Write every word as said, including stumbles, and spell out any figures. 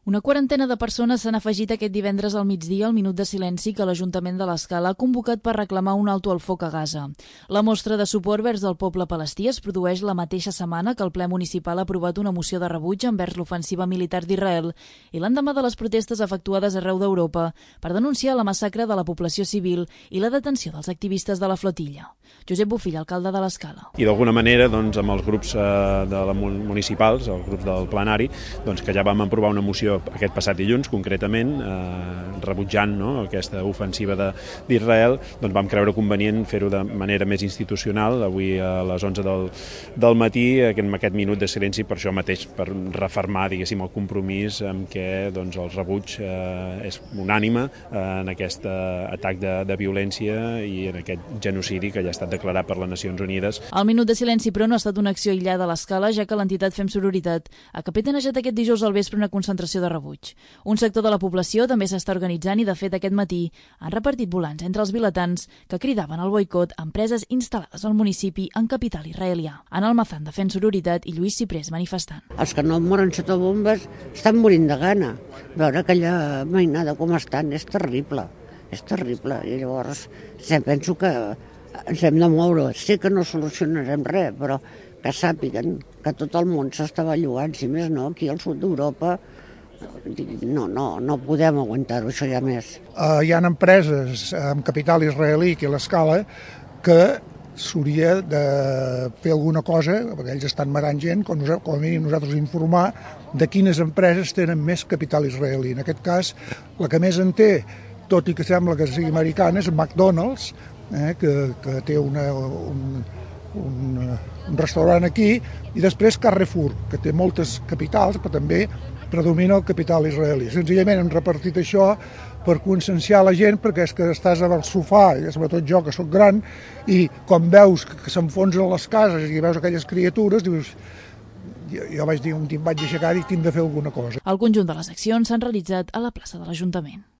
Una quarantena de persones s'han afegit aquest divendres al migdia al minut de silenci que l'Ajuntament de l'Escala ha convocat per reclamar un alto al foc a Gaza. La mostra de suport vers el poble palestí es produeix la mateixa setmana que el ple municipal ha aprovat una moció de rebuig envers l'ofensiva militar d'Israel i l'endemà de les protestes efectuades arreu d'Europa per denunciar la massacre de la població civil i la detenció dels activistes de la flotilla. Josep Bofill, alcalde de l'Escala. I d'alguna manera, doncs, amb els grups eh, de la municipals, els grups del plenari, doncs, que ja vam aprovar una moció aquest passat dilluns, concretament, eh, rebutjant no, aquesta ofensiva d'Israel, doncs vam creure convenient fer-ho de manera més institucional, avui a les onze del, del matí, en aquest minut de silenci, per això mateix, per refermar, diguéssim, el compromís amb què doncs, el rebuig eh, és unànime eh, en aquest atac de, de violència i en aquest genocidi que ja ha estat declarat per les Nacions Unides. El minut de silenci, però, no ha estat una acció aïllada a l'Escala, ja que l'entitat Fem Sororitat ha capitanejat aquest dijous al vespre una concentració de rebuig. Un sector de la població també s'està organitzant i, de fet, aquest matí han repartit volants entre els vilatans que cridaven al boicot a empreses instal·lades al municipi en capital israelià. Ana Almazán, de Fem Sororitat, i Lluís Ciprés, manifestant. Els que no moren sota bombes estan morint de gana. Veure aquella mainada com estan és terrible, és terrible. I llavors penso que ens hem de moure. Sé que no solucionarem res, però que sàpiguen que tot el món s'està bellugant, si més no, aquí al sud d'Europa. No, no, no podem aguantar-ho, això ja més. Uh, hi ha empreses amb capital israelí aquí a l'Escala que s'hauria de fer alguna cosa, perquè ells estan matant gent, com, nosaltres, com a mínim nosaltres informar de quines empreses tenen més capital israelí. En aquest cas, la que més en té, tot i que sembla que sigui americana, és McDonald's, eh, que, que té una, un, un, un restaurant aquí, i després Carrefour, que té moltes capitals, però també predomina el capital israelí. Senzillament hem repartit això per conscienciar la gent, perquè és que estàs al sofà, i sobretot jo, que sóc gran, i quan veus que s'enfonsen les cases i veus aquelles criatures, dius, jo, jo vaig dir, un dia em vaig aixecar i tinc de fer alguna cosa. El conjunt de les accions s'han realitzat a la plaça de l'Ajuntament.